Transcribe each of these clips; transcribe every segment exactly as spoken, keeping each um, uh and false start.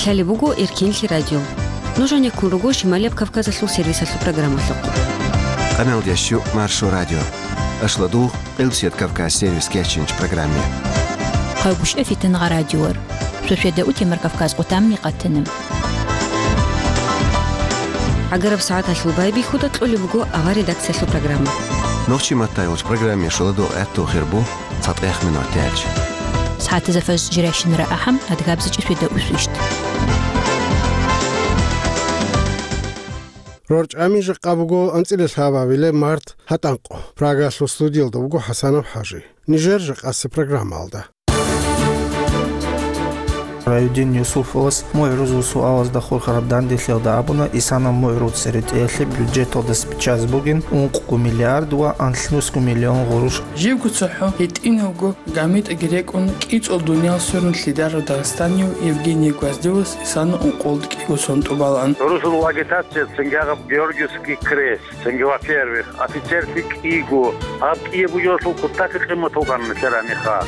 Лъалеб буго Эркинлъи радио. Нуж гьанеккун руго Шималияб Кавказалъул сервисалъул программалъухъ. Къамелдящу Маршо радио. Ашладугъ, Къилбсият Кавказ сервис кечинч программе. Хъайгуща фитангъа радиор. Шошеда утемар Кавказ къутамни къатана. Агараб сагӀаталъул байбихьуда кьолеб буго авар редакциялъул программа. Нохчи маттайгъуч программе шоладугъ гӀатту хирбу. ЦатӀех минут тяч. СагӀатазафаз жирайщинара ахӀам адгабзичӀеб свида усвищт. РорчӀами жакъа буго анцӀила лъабабилеб март гьатӀанкъо. Прагалъул студиялда вуго ХӀасанов ХӀажи. Нижер жакъасе программалда. Райдин Юсуфовас МугӀрузул суалазда хурхараб данделъиялда абуна, Исана МугӀрул церетӀеялъе бюджеталдаса биччазе бугин ункъго миллиард ва анлънусго миллион гъуруш. Живго цохӀо гьитӀинавго гамитӀаги рекӀун кӀицӀул дуниял сверун лъидарав дагъистанияв Евгений Гвоздевас Исана ункъолда кӀиго сон тӀубалаан. Русул агитация цинги гьаб Георгиевский крест. Цинги, во-первых, офицерлъи кӀиго, гьаб кӀияб бугелъул кутакги къимат вукӀана нилъер гьаниха.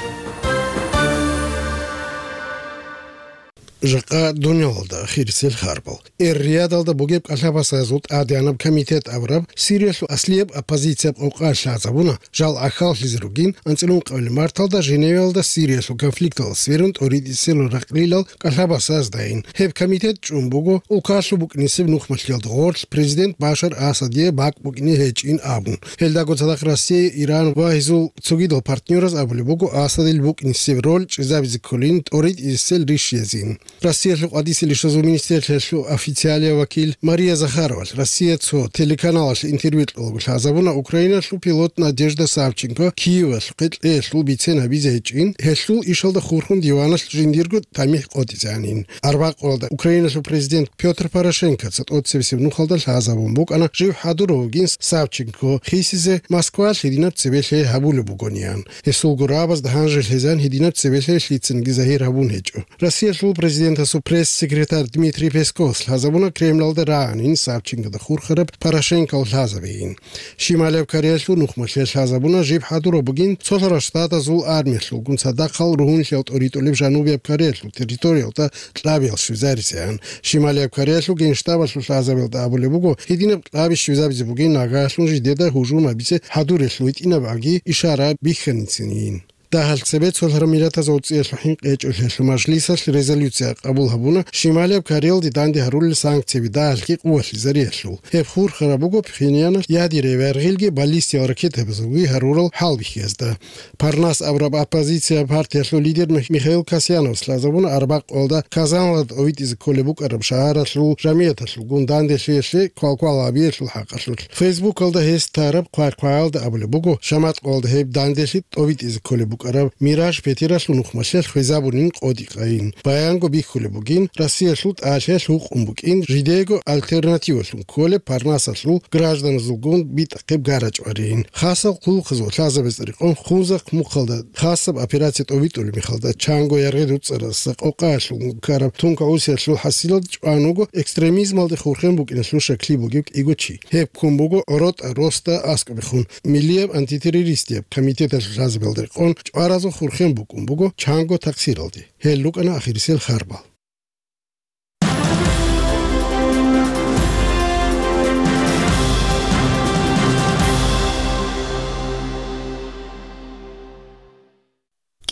Жакъа дунялалда ахирисел харбал. Эр-Риядалда бугеб кӀалъабасазул тӀадегӀанаб комитет абураб Сириялъул аслияб оппозицияб къокъа лъазабуна, жал гӀахьаллъизе ругин анцӀила ункъабилеб марталда Женевиялда Сириялъул конфликталда сверун тӀоритӀисел ракълилал кӀалъабасаздайин. Гьеб комитет чӀун буго улкалъуб букӀинисеб нухмалъиялда гъорлъ президент Башар Асадие бакӀ букӀине гьечӀин абун. Гьелдаго цадахъ Россия, Иран ва гьезул цогидал партнераз абулеб буго Асадил букӀинисеб роль чӀезабизе кколин тӀоритӀисел рищиязин. Россиялъул къватӀисел ишазул министрлъиялъул официалияв вакил Мария Захаровалъ Россия цо телеканалалъе интервью кьолаго лъазабуна Украиналъул пилот Надежда Савченко Киевалъухъе кьеялъул бицен гьабизе гьечӀин, гьелъул ишалда хурхун диваналъ жиндирго тамихӀ къотӀизанин. Арбакъулда Украиналъул президент Пётр Порошенкоца тӀоцебесеб нухалда лъазабун букӀана жив хӀадурав вугин Савченко хисизе Москвалъ гьединаб цебе лъай гьабулеб бугониан. Гьесул гурабазда гьанже лъезан гьединаб цебе лъай лъицаниги загьир гьабун гьечӀо. Россиялъул президентасул пресс-секретарь Дмитрий Песковас лъазабуна Кремлалда рагӀанин Савченкода хурхараб Порошенкол лъазабейин. Шималияб Кореялъул нухмалъе лъазабуна жиб хӀадураб бугин цолъарал штатазул армиялъулгун цадахъал ругьунлъиял тӀоритӀулеб Жанубияб Кореялъул территориялда кьабиял щвезаризеан. Шималияб Кореялъул генштабалъул лъазабиялда абулеб буго, гьединаб кьаби щвезабизе бугин нагаялъун жидеда гьужум гьабизе хӀадурелъул гьитӀинаб аги ишара бихьаницинин. Дагьал цебе цолъараб миллатазул цӀиялъул хӀинкъи гьечӀолъиялъул мажлисалъ резолюция къабул гьабуна Шималияб Кореялде данде гьарулел санкцияби дагьалги къувалъизариялъул. Гьеб хурхараб буго Пхеньяналъ ядерай вергъилги баллистиял ракетабазулги гьарурал хӀалбихьиязда. Парнас абураб оппозиция партиялъул лидер Мих-, Михаил Касьяновас лъазабуна арбакъуялда Казаналда тӀовитӀизе кколеб букӀараб шагьаралъул жамигӀаталъулгун данделъиялъе квалквал гьабиялъул хӀакъалъулъ. Фейсбукалда гьес тараб хъвай-хъваялда абулеб буго, шаматкъуялда гьеб данделъи тӀовитӀизе кколеб букӀараб Мираж пятилалъул нухмалъе хвезабунин къотӀи-къайин. Баянго бихьулеб бугин, Россиялъул тӀалъиялъ гьукъун букӀин жидего альтернативалъун кколеб Парнасалъул гражданазулгун битӀахъеб гарачӀварин. Хасал хъулухъазул лъазабазда рекъон Хунзахъ мухъалда хасаб операция тӀовитӀулеб мехалда чанго яргъи дуцӀаразда къокъаялъулгун ккараб тунка усиялъул хӀасилалда чӀван вуго экстремизмалде хурхен букӀиналъул шакли бугеб кӀиго чи. Гьеб ккун буго ГӀоротӀа росда аскӀобехун, Миллияб антитеррористияб комитеталъул лъазабиялда рекъон чӀваразул хурхен букӀун буго чанго такъсиралде. Гьел рукӀана ахирисел харбал.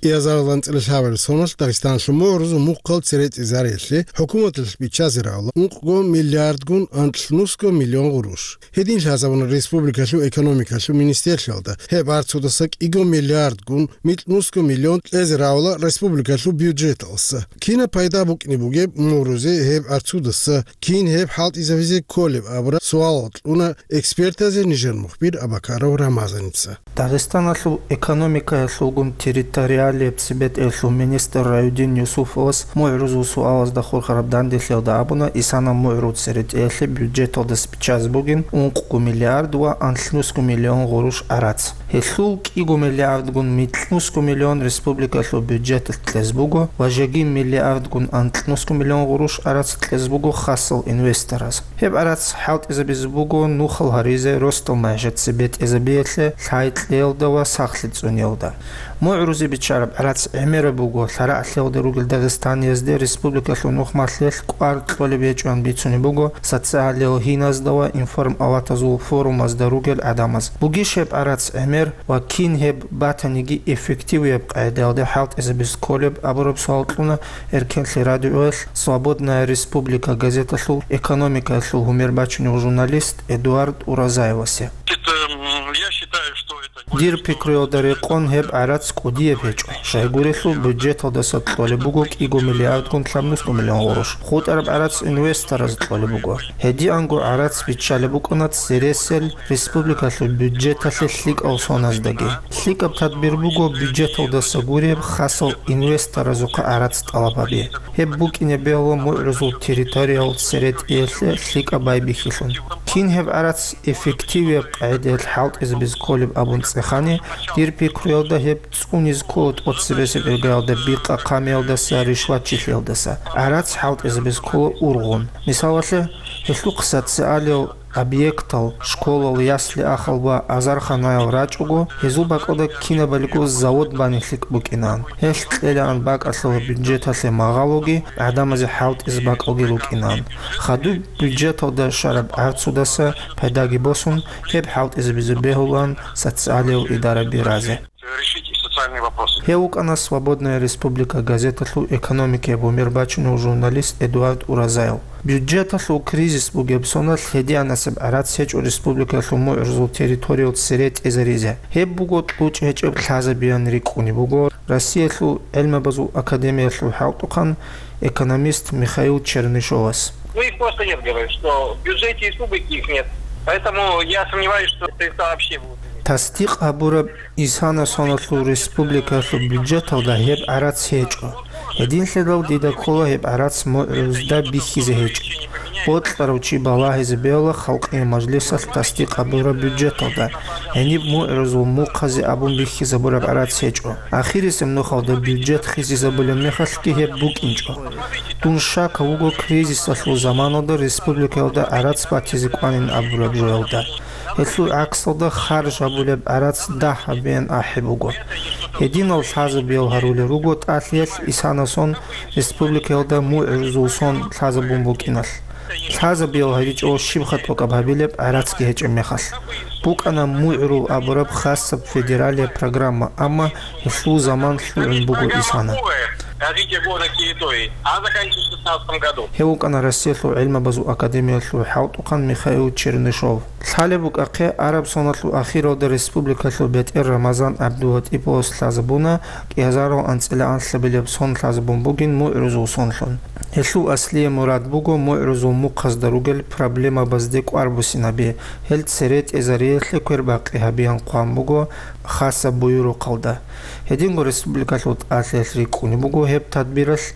КӀиазарал анцӀила лъабабилеб соналъ Дагъистаналъул мугӀрузул мухъал церетӀизариялъе хӀукуматалъ биччазе равла ункъго миллиардгун анлънусго миллион гъурущ. Гьедин лъазабуна республикалъул экономикалъул министрлъиялда, гьеб арцудаса кӀиго миллиардгун микьнусго миллион кьезе равла республикалъул бюджеталдаса. Кинаб пайда букӀине бугеб мугӀрузе гьеб арцудаса, кин гьеб хӀалтӀизабизе кколеб абураб суалал кьуна экспертазе нижер мухбир Абакаров Рамазаница. Дагъистаналъул экономикаялъулгун территориалияб цебетӀеялъул министр Раюдин Юсуфовас мугӀрузул суалазда хурхараб данделъиялда абуна, Исана мугӀрул церетӀеялъе бюджеталдаса биччазе бугин ункъго миллиард ва анлънусго миллион гъурущ гӀарац. Гьелъул кӀиго миллиардгун микьнусго миллион республикалъул бюджеталъ кьезе буго ва жеги миллиардгун анлънусго миллион гъурущ гӀарац кьезе буго хасал инвестораз. Гьеб гӀарац хӀалтӀизабизе буго нухал гьаризе росдал магӀишат цебетӀезабиялъе, лъай кьеялда ва сахлъи цӀуниялда. МугӀрузе биччараб ГӀарац гӀемераб буго, лъарагӀлъиялда ругел дагъистаниязде республикалъул нухмалъиялъ кӀвар кьолеб гьечӀоан бицунеб буго социалиялъул гьиназда ва информалатазул форумазда ругел гӀадамаз. Бугищ гьеб гӀарац гӀемер ва кин гьеб батаниги эффективияб къагӀидаялде хӀалтӀизабизе кколеб абураб суал кьуна Эркенлъи радиоялъ «Свободная республика» газеталъул экономикаялъул гьумер бачунев журналист Эдуард Уразаевасе. Это, м, я считаю, что это Дир пикруялда рекъон гьеб гӀарац кӀудияб гьечӀо. Щайгурелъул бюджеталдаса кьолеб буго кӀиго миллиардгун лъабнусго миллион гъурущ. ХутӀараб гӀарац инвестораз кьолеб буго. Гьедианго гӀарац биччалеб букӀана цересел республикалъул бюджеталъе лъикӀал соназдаги. ЛъикӀаб тадбир буго бюджеталдаса гуреб хасал инвесторазухъа гӀарац тӀалаб гьаби. Гьеб букӀине бегьула мугӀрузул территориял церетӀиялъе лъикӀаб байбихьилъун. Кин гьеб гӀарац эффективияб къагӀидаялъ хӀалтӀизабизе кколеб абун цӀехани, дир пикруялда гьеб цӀунизе ккола тӀоцебесеб иргаялда бикъа-хъамиялдаса, ришватчилъиялдаса. ГӀарац хӀалтӀизабизе ккола ургъун. Мисалалъе, гьелъухъ социалиял объектал, школал, ясли-ахал ва азарханаял рачӀого, гьезул бакӀалда кинабалиго завод бани лъикӀ букӀинаан. Гьелъ кьелаан бакӀалъула бюджеталъе магъалоги, гӀадамазе хӀалтӀизе бакӀалги рукӀинаан. Хадуб бюджеталда щвараб гӀарцудаса пайдаги босун, гьеб хӀалтӀизабизе бегьулаан социалиял идараби разе. Решить и социальные вопросы. Гьев вукӀана «Свободная республика» газеталъул экономикаяб гьумер бачунев журналист Эдуард Уразаев. Бюджеталъул кризис бугеб соналъ гьедианасеб гӀарац гьечӀо республикалъул мугӀрузул территориял цере тӀезаризе. Гьеб буго кьучӀ гьечӀеб лъазабиян рикӀкӀунеб буго Россиялъул гӀелмабазул академиялъул хӀалтӀухъан экономист Михаил Чернышовас. Ну, их просто нет, говорит, что в бюджете республики их нет. Поэтому я сомневаюсь, что средства вообще будут. Тасдикъ гьабураб исана соналъул республикалъул бюджеталда гьеб гӀарац гьечӀо. Гьединлъидал дида ккола гьеб гӀарац мугӀрузда бихьизе гьечӀеб. Бокьарав чи балагьизе бегьула халкъие мажлисалъ тасдикъ гьабураб бюджеталда, гьениб мугӀрузул мухъазе абун бихьизабураб гӀарац гьечӀо. Ахирисеб нухалда бюджет хисизабулеб мехалъги гьеб букӀинчӀо. Дун щакав вуго кризисалъул заманалда республикаялда гӀарац батизе кӀванин абураб жоялда. Гьелъул гӀаксалда харж гьабулеб гӀарац дагь гьабеян ахӀи буго. Гьединал лъазабиял гьарулел руго тӀалъиялъ исана сон республикаялда мугӀрузул сон лъазабун букӀиналъ. Лъазабиял гьаричӀого щибха тӀокӀаб гьабилеб гӀарацги гьечӀеб мехалъ. БукӀана мугӀрул абураб хасаб федералияб программа, амма гьелъул заман лъугӀун буго исана. Развитие города территории, а заканчивается в шестнадцатом году. Гьев вукӀана Россиялъул гӀилмабазул академиялъул хӀалтӀухъан Михаил Чернышов. Лъалеб букӀахъе, араб соналъул ахиралда республикалъул бетӀер Рамазан ГӀабдулатӀиповас лъазабуна кӀиазарал анцӀила анлъабилеб сон лъазабун бугин мугӀрузул сонлъун. Гьелъул аслияб мурад буго мугӀрузул мухъазда ругел проблемабазде кӀвар буссинаби, гьел цере тӀезариялъе квербакъи гьабиян хъван буго хасаб буюрухъалда. Гьединго республикалъул тӀалъиялъ рикӀкӀунеб буго гьеб тадбиралъ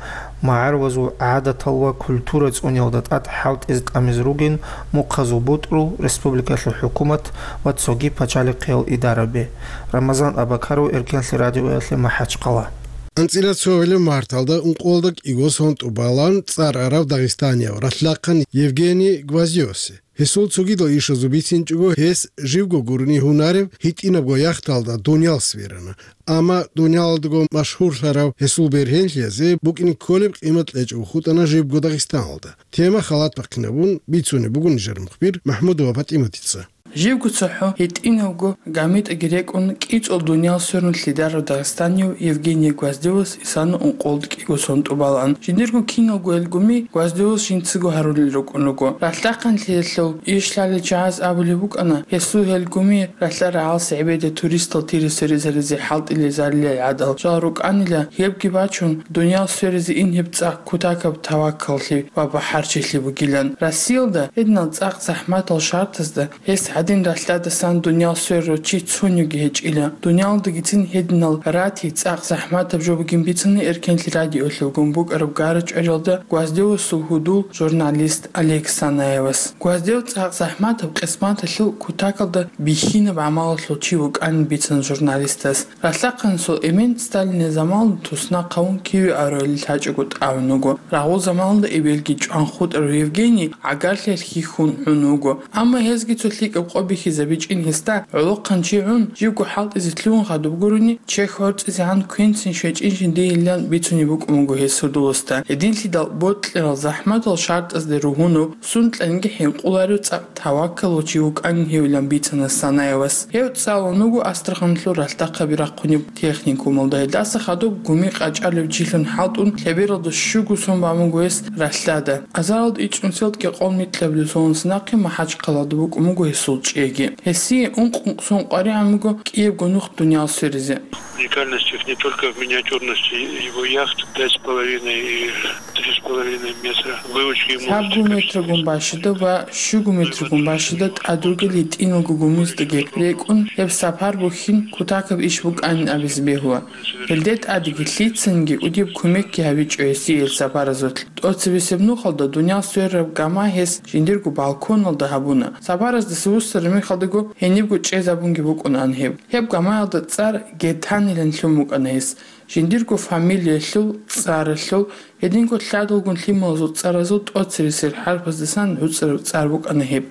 магӀарулазул гӀадатал ва культура цӀуниялда тӀад хӀалтӀизе тӀамизе ругин мухъазул бутӀрул, республикалъул хӀукумат ва цоги пачалихъиял идараби. Рамазан Абакаров, Эркенлъи радиоялъе, МахӀачхъала. АнцӀила цо гьабилеб марталда ункъоялда кӀиго сон тӀубалан цӀар арав дагъистанияв ралъдахъан Евгений Гвоздевасе. Гьесул цогидал ишазул бицинчӀого, гьес живго гурони гьунарев гьитӀинабго яхталда Дуниял сверана. Амма Дуниялалдаго машгьурлъарав гьесул бергьенлъиялъе букӀине кколеб къимат кьечӀого хутӀана живго Дагъистаналда. Тема халат бахъинабун бицунеб буго нижер мухбир МахӀмудова ПатӀиматица. Живго цохӀо гьитӀинабго гамитӀаги рекӀун кӀицӀул Дуниял сверун лъидарав дагъистанияв Евгений Гвоздевас исана ункъоялда кӀиго сон тӀубалан. Жиндирго киналго гьел гуми Гвоздевас жинцаго гьарулел рукӀун руго. Ралъдахъанлъиялъул иш лъалел чагӀаз абулеб букӀана, гьесул гьел гуми ралъа-рагӀалас гӀебеде туристал тире сверизаризе хӀалтӀилел зарилел гӀадал жал рукӀанила, гьебги бачун, Дуниял сверизе ин гьеб цӀакъ кутакаб таваккаллъи ва бахӀарчилъи бугилан. Россиялда гьединал цӀакъ захӀматал шартазда гьес гӀадин ралъдадасан Дуниял сверарав чи цониги гьечӀила. Дуниялалдагицин гьединал ратий цӀакъ захӀматаб жо бугин бицана Эркенлъи радиоялъ вугун букӀараб гара-чӀваралда Гвоздевасул гьудул журналист Олег Санаевас. Гвоздев цӀакъ захӀматаб къисматалъул кутакалда бихьинаб гӀамалалъул чи вукӀанин бицана журналистас. Ралъдахъанасул эмен Сталинил заманалда туснахъ гьавун Киви аруялил лъачӀого тӀагӀун вуго. Рагъул заманалда эбелги чӀван хутӀарав Евгений гӀагарлъиялъ хьихьун гӀун вуго. Амма гьезги цо лъикӀаб къо бихьизабичӀин гьесда, гӀолохъанчи гӀун, живго хӀалтӀизе лъугьун хадуб гурони, чехь гӀорцӀизегӀан квенцин щвечӀин жиндиилан бицунеб букӀун буго гьес гьудуласда. Гьединлъидал бокьарал захӀматал шартӀазде ругьунаб, сункьанги хӀинкъуларев цӀакъ таваккалав чи вукӀанин гьевилан бицана Санаевас. Гьев цӀалун вуго Астраханлъул ралъдахъаби рахъунеб техникумалда. Гьелдаса хадуб гуми къачӀалев чилъун хӀалтӀун, лъебералда щуго сон бан буго гьес ралъдада. Азаралда ичӀнусиялда кӀикъоялда микьабилеб соналдаса нахъе МахӀачхъалада букӀун буго гьесул чӀеги. Гьесие ункъ-ункъ сон къваригӀун буго кӀиябго нух дуниял сверизе. Уникальность их не только в миниатюрности его яхт, пять с половиной и три с половиной метра. Выучки ему Лъабго метрагун бащада ва щуго метрагун бащада тӀад ругел гьитӀиналго гумиздаги рекӀун, гьеб сапар бухьин кутакаб иш букӀанин абизе бегьула. Гьелде тӀадеги лъицанги кӀудияб кумекги гьабичӀо гьесие гьел сапаразулъ. ТӀоцебесеб нухалда дуниял сверараб гама гьес жиндирго балконалда гьабуна. Сапараздаса вуссараб мехалдаго гьенибго чӀезабунги букӀунаан гьеб. Гьеб гамаялда цӀар Гетанилан лъун букӀана гьес. Жиндирго фамилиялъул, цӀаралъул, гьединго лъадалгун лъималазул цӀаразул тӀоцересел хӀарпаздасан гӀуцӀараб цӀар букӀана гьеб.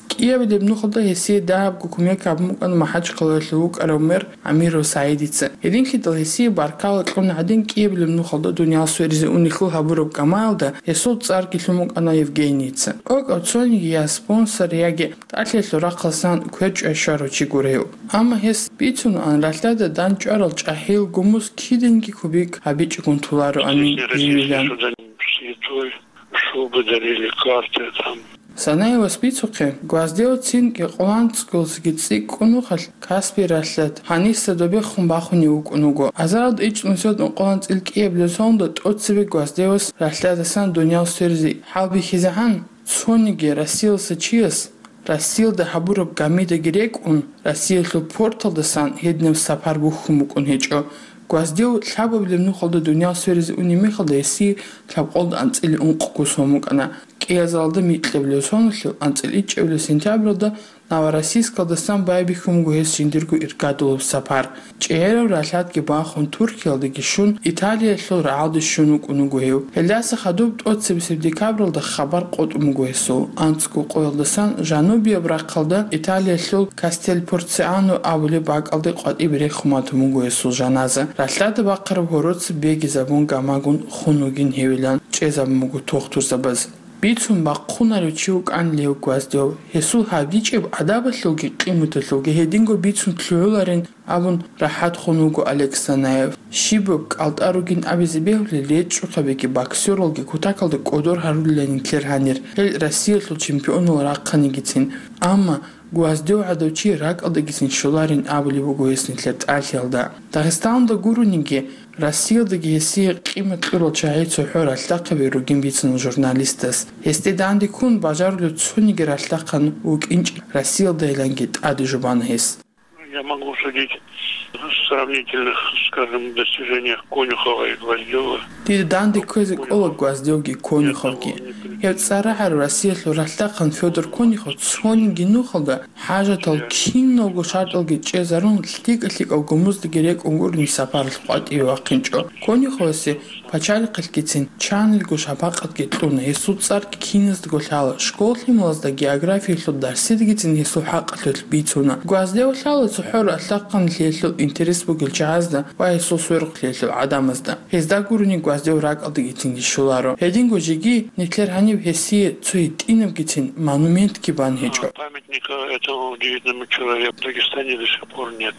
КӀиабилеб нухалда гьесие дагьабго кумек гьабун букӀана МахӀачхъалаялъул вукӀарав мэр Амиров СагӀидица. Гьединлъидал гьесие баркала кьун гӀадин, кӀиабилеб нухалда дуниял сверизе унелъул гьабураб гамаялда гьесул цӀарги лъун букӀана Евгенийица. ТӀокӀав цониги я спонсор, яги тӀалъиялъул рахъалдасан квер чӀвай щварав чи гуро гьев. Амма гьес бицунаан, ралъдада дандчӀварал чӀахӀиял гумуз киданги кубик гьабичӀогун толароанин живилан. Святой, шубы дарили, карты там. Санаевас бицухъе, Гвоздевцин кӀикъоялда анцӀгоялдасаги цӀикӀкӀун нухалъ Каспий ралъад гьаниса добехун бахунев вукӀун вуго. Азаралда ичӀнусиялда ункъоялда анцӀила кӀиабилеб соналда тӀоцебе Гвоздевас ралъдадасан дуниял сверизе хӀалбихьизегӀан, цониги Россиялдаса чияс Россиялда гьабураб гамидаги рекӀун, Россиялъул порталдасан гьединаб сапар бухьун букӀун гьечӀо. Гвоздев лъабабилеб нухалда дуниял сверизе унеб мехалда гьесие лъабкъоялда анцӀила ункъго сон букӀана. КӀиазалда микьабилеб соналъул анцӀила ичӀабилеб сентябралда Новороссийскалдасан байбихьун буго гьес жиндирго иргадулаб сапар. ЧӀегӀераб ралъадги бахун, Туркиялдаги щун, Италиялъул рагӀалде щун вукӀун вуго гьев. Гьелдаса хадуб тӀоцебесеб декабралда хабар къотӀун буго гьесул. АнцӀго къоялдасан жанубияб рахъалда Италиялъул Кастель-Порцеано абулеб бакӀалде къватӀибе рехун батун буго гьесул жаназа. Ралъдада бахъараб гьороца бегизабун гамагун хун вугин гьевилан чӀезабун буго тухтурзабаз. Бицун бахъунарев чи вукӀанила гьев Гвоздев. Гьесул гьабичӀеб адабалъулги къиматалъулги гьединго бицун лъугӀуларин абун рахӀат хун вуго Олег Санаев. Щибаб кӀалтӀа ругин абизе бегьулел, речӀчӀухъабиги боксералги кутакалда кӀодор гьарулелани нилъер гьанир, гьел Россиялъул чемпионал рахъанигицин. Амма Гвоздев гӀадав чи ракӀалдагицин щоларин абулеб буго гьес нилъер тӀалъиялда. Дагъистаналда гурониги, Россиялдаги гьесие къимат кьурал чагӀи цохӀо ралъдахъаби ругин бицана журналистас. Гьесде данде ккун бажарулев цониги ралъдахъан вукӀинчӀин Россиялдайиланги тӀаде жубана гьес. Я могу судить сравнительно, скажем, достижениях Конюхова и Гвоздева. Дида данде кквезе ккола Гвоздевги Конюховги. Гьев цӀар рагӀарав Россиялъул ралъдахъан Федор Конюхов цониги нухалда хӀажатал киналго шартӀалги чӀезарун, лъикӀа-лъикӀал гумуздаги рекӀун гурони сапаралъ къватӀиве вахъинчӀо. Конюховасе пачалихъалъгицин чанилго шапакъатги кьуна, гьесул цӀарги киназдаго лъала, школ-лъималазда географиялъул дарсидагицин гьесул хӀакъалъулъ бицуна. Гвоздев лъала цохӀо ралъдахъанлъиялъул интерес бугел чагӀазда ва гьесул сверухълъиялъул гӀадамазда. Гьезда гурони Гвоздев ракӀалдагицинги щоларо. Гьединго жеги нилъер гьаниб гьесие цо гьитӀинабгицин монументги бан гьечӀо. Памятника этому удивительному человеку в Дагестане до сих пор нет.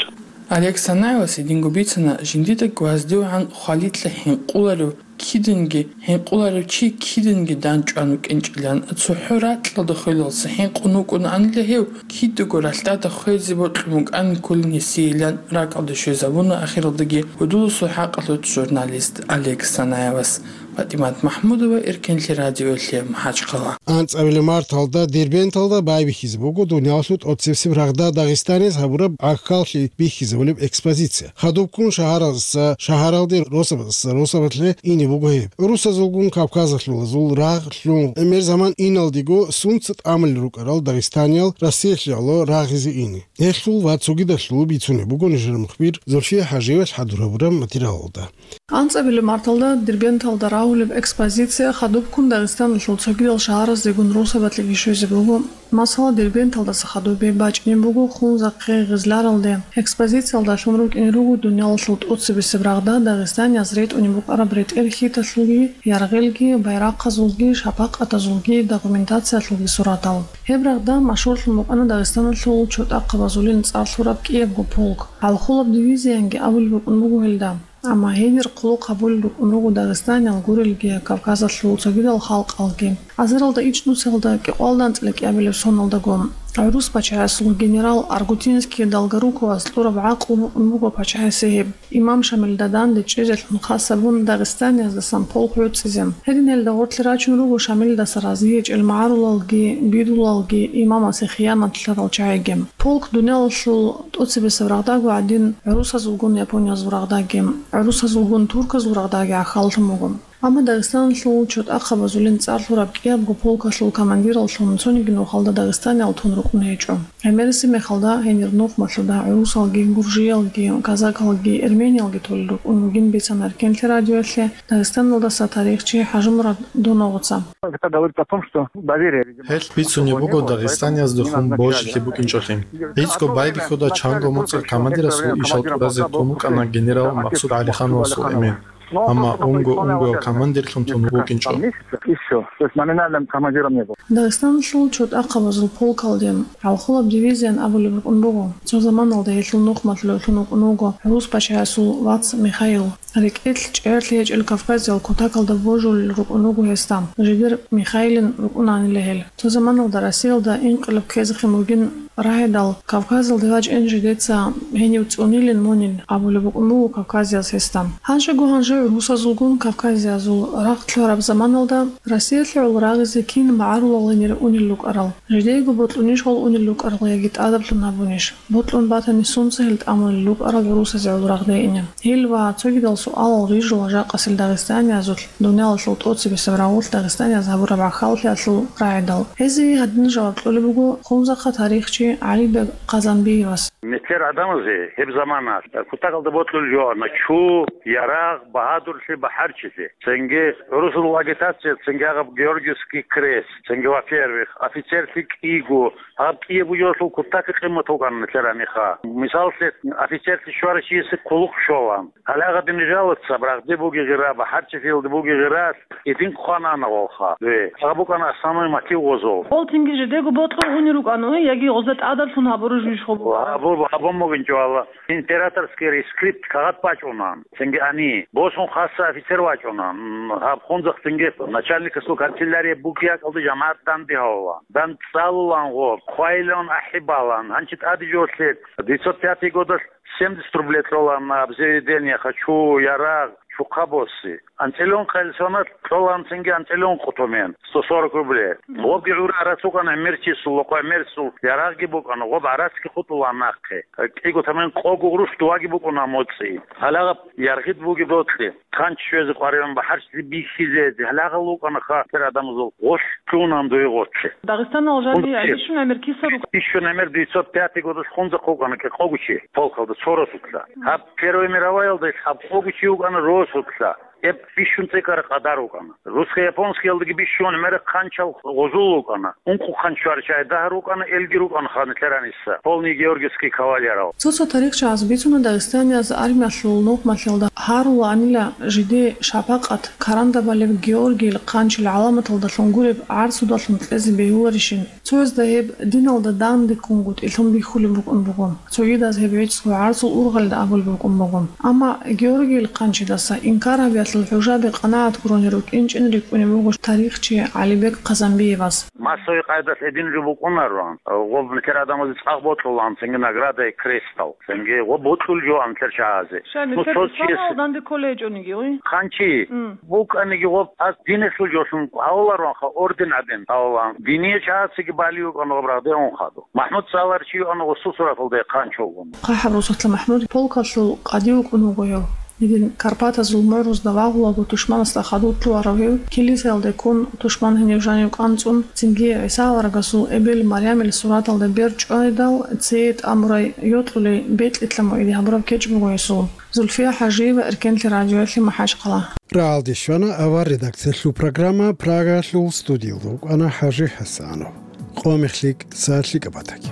Олег Санаевас гьединго бицана, жиндида ГвоздевгӀан хвалилъа хӀинкъуларев киданги, хӀинкъуларев чи киданги данчӀван вукӀинчӀилан, цохӀо ракьалда хвелалса хӀинкъун вукӀунаанила гьев, кидаго ралъдада хвезе бокьун букӀанин кколин гьесиеилан ракӀалде щвезабуна, ахиралдаги гьудуласул хӀакъалъулъ журналист Олег Санаевас. ПатӀимат МахӀмудова, Эркенлъи радиоялъе, МахӀачхъала. АнцӀабилеб марталда Дербенталда байбихьизе буго дуниялалъул тӀоцебесеб рагъда Дагъистаниялъ гьабураб гӀахьаллъи бихьизабулеб экспозиция. Хадубккун шагьаралдаса шагьаралде, росабаздаса росабалъе ине буго гьеб. ГӀурусазулгун кавказалъулазул рагъ лъун, гӀемер заман иналдего сунца тӀамулел рукӀарал дагъистаниял Россиялъе гӀоло рагъизе ине. Гьелъул ва цогидалъул бицунеб буго нижер мухбир Зульфия ХӀажиевалъ хӀадур гьабураб материалалда. АнцӀабилеб марталда Дербенталда рав Гьабулеб экспозиция хадубккун Дагъистаналъул цогидал шагьараздегун росабалъиги щвезе буго. Масала, Дербенталдаса хадуб гьеб бачӀине буго Хунзахъе, Гъизларалде. Экспозициялдалъун рукӀине руго дуниялалъул тӀоцебесеб рагъда дагъистанияз ретӀунеб букӀараб ретӀел-хьиталъулги, яргъелги, байрахъазулги, шапакъатазулги, документациялъулги суратал. Гьеб рагъда машгьурлъун букӀана Дагъистаналъул чотӀахъабазулин цӀар лъураб кӀиябго полк. ХӀалхулаб дивизиянги абулеб букӀун буго гьелда. Амма гьенир хъулухъ гьабулел рукӀун руго дагъистаниял гурелги, Кавказалъул цогидал халкъалги. Азаралда ичӀнусиялда кӀикъоялда анцӀила кӀиабилеб соналдаго гӀурус пачаясул генерал Аргутинский Долгоруковас кьураб гӀакълу букӀун буго пачаясе гьеб. Имам Шамилда данде чӀезелъун хас гьабун дагъистанияздасан полк гӀуцӀизе. Гьединелда гъорлъе рачун руго Шамилдаса разие гьечӀел магӀарулалги, бидулалги, имамасе хиянат лъарал чагӀиги. Полк дуниялалъул тӀоцебесеб рагъдаго гӀадин, гӀурусазулгун япониязул рагъдаги, гӀурусазулгун турказул рагъдаги гӀахьаллъун буго. Амма Дагъистаналъул чотӀахъабазулин цӀар лъураб кӀиябго полкалъул командираллъун цониги нухалда дагъистаниял тун рукӀун гьечӀо. ГӀемерисеб мехалда гьенир нухмалъуда гӀурусалги, гуржиялги, казакалги, эрмениялги толел рукӀун вугин бицана Эркенлъи радиоялъе Дагъистаналдаса тарихчи ХӀажимурад Доновгъуца. Это говорит о том, что доверие, видимо, Гьелъ бицунеб буго дагъистанияздехун божилъи букӀинчӀолъи. ГӀицӀго байбихьуда чанго моцӀил командирасул ишал тӀуразе тун вукӀана генерал Максуд ГӀалихановасул эмен. Амма унго-унгояв командирлъун тун вукӀинчӀо. Ещё, то есть номинальным командиром не был. Дагъистаналъул чотӀахъабазул полкалде, гӀалхулаб дивизиян абулеб букӀун буго. Цо заманалда гьелъул нухмалъулев лъун вукӀун вуго гӀурус пачаясул вац Михаил. РекӀелъ чӀегӀерлъи гьечӀел Кавказиял кутакалда божулел рукӀун руго гьесда, жидер Михаилин рукӀунанила гьел. Цо заманалда Россиялда инкъилаб ккезехъин бугин рагӀидал, Кавказалде вачӀин жидеца гьенив цӀунилин мунин абулеб букӀун буго кавказияз гьесда. Гьанжего-гьанже гӀурусазулгун кавказиязул рагъ лъураб заманалда Россиялъе гӀоло рагъизе кин магӀарулал гьенир унел рукӀарал? Жидеего бокьунищ гьол унел рукӀарал яги тӀадаблъун гьабунищ? Бокьун батани, сунца гьел тӀамулел рукӀарал гӀурусазе гӀоло рагъде ине? Гьел ва цогидал суалал рижула жакъасел дагъистаниязулъ дуниялалъул тӀоцебесеб рагъулъ дагъистанияз гьабураб гӀахьаллъиялъул рагӀидал. Гьезие гьадин жаваб кьолеб буго Хунзахъа тарихчи ГӀалибег Хъазанбиевас. Нилъер гӀадамазе гьеб замана кутакалда бокьулел жоана чу, ярагъ, багьадурлъи, бахӀарчилъи. Цинги гӀурусул агитация, цинги гьаб Георгиевский крест, цинги, во-первых, офицерлъи кӀиго, гьаб кӀиябго жоялъул кутакги къимат букӀана нилъер гьаниха. Мисаллъе, офицерлъи щварав чиясе кулухъ щолан. Гьале гьадин жалоца, рагъде буги гъира, бахӀарчилъиялде буги гъира, гьедин хъвана гъолха. Гье, гьаб букӀана основной мотив гъозул. Гъол цинги жидего бокьун унел рукӀана, яги гъозда тӀадаблъун гьабураб жо иш гъо букӀана? Гьабу-, гьабун бугин чӀвала. Императорский рескрипт кагъат бачӀунан. Цинги ани, босун хаса офицер вачӀунан. Гьаб Хунзахъ цинги начальникасул канцелярия буги гьакӀалда жамагӀат данде гьавулан. ДандцӀалулан гъо, хъвайлъун ахӀи балан. Гьанчи тӀаде жолъе, девятьсот пятый годалъ семьдесят рублей кьолан обзаведение, хочу, ярагъ, чухъа босси. АнцӀила ункъ хъел соналъ кьолан цинги анцӀила ункъ тӀомен, сто сорок рублей. Гъобги гӀура гӀарац букӀана гӀемерчиясул, гъоб гӀемерчиясул ярагъги букӀана, гъоб гӀарацги хутӀулан нахъе. КӀиго тӀомен къого гъурущ дувагӀги букӀуна моцӀи. Гьалагъаб яргъид буги бокьи. Хъанчи щвезе къваригӀун, бахӀарчилъи бихьизе, гьалагъал вукӀана хатир гӀадамазул гъолъ лъунан дуе гъоцци. Дагъистаналъ жаниб Хунзахъ чи. Бищун гӀемер киса рукӀа? Бищун гӀемер девятьсот пятый годалъ Хунзахъ вукӀана кӀикъого чи полкалда цо росулъа. Гьаб Первая мироваялда гьаб къого чи вукӀана росулъа. Гьеб бищун цӀикӀкӀараб къадар вукӀана. Русско-японскиялдаги бищун гӀемер хъанчал гъозул вукӀана. Ункъо хъанч щварчагӀи дагьар вукӀана, элги рукӀана ханилъер гьаниса. Полный георгиевский кавалерал. Цо-цо тарихчияз бицуна дагъистанияз армиялъул нухмалъиялда гьарулаанила жидее шапакъат, карандабалеб Георгийил хъанчил гӀаламаталдалъун гуреб гӀарцудалъун кьезе бегьуларищин. Цоязда гьеб диналда дандеккунгутӀилъун бихьулеб букӀун буго. Цогидаз гьеб гӀицӀго гӀарцул ургъалда абулеб букӀун буго. Амма Георгийил хъанчидаса инкар гьабиялъул хӀужаби къанагӀат гурони рукӀинчӀин рикӀкӀунеб буго тарихчи ГӀалибек Хъазанбиевас. Массовый къайдалъ гьедин жо букӀунарун, гъоб нилъер гӀадамазе цӀакъ бокьулан, цинги награда и крестал, цинги гъоб бокьул жо анлъер чагӀазе. Ша, Ну, нилъер цо чияс исламалда данде кколей гьечӀониги, ой? Хъанчи М. букӀаниги гъоб аз динехъул жолъун гьавуларонха, орден гӀадин гьавулан. Диние чагӀацаги балигӀун гъоб рагъде унхаду. МахӀмуд цӀаларчи юан гъосул сураталда хъанчо вугун. ХъахӀаб Русулъа МахӀмуд полкалъул къади вукӀун вуго гьев. Гьедин Карпатазул мугӀрузда вагъулаго тушманасда хадув лъугьарав гьев, килисаялде ккун, тушман гьенив жанив кӀанцӀун, цинги ГӀиса аварагасул эбел Марямил сураталда бер чӀвайдал, цее тӀамурай йокьулей Бетлихемалъ иде гьабураб кечӀ буго гьесул. Зульфия ХӀажиева, Эркенлъи радиоялъе МахӀачхъала. РагӀалде щвана авар редакциялъул программа Прагаялъул, студиялда вукӀана ХӀажи ХӀасанов. Къо мехлъи, са лъикӀаб батаги.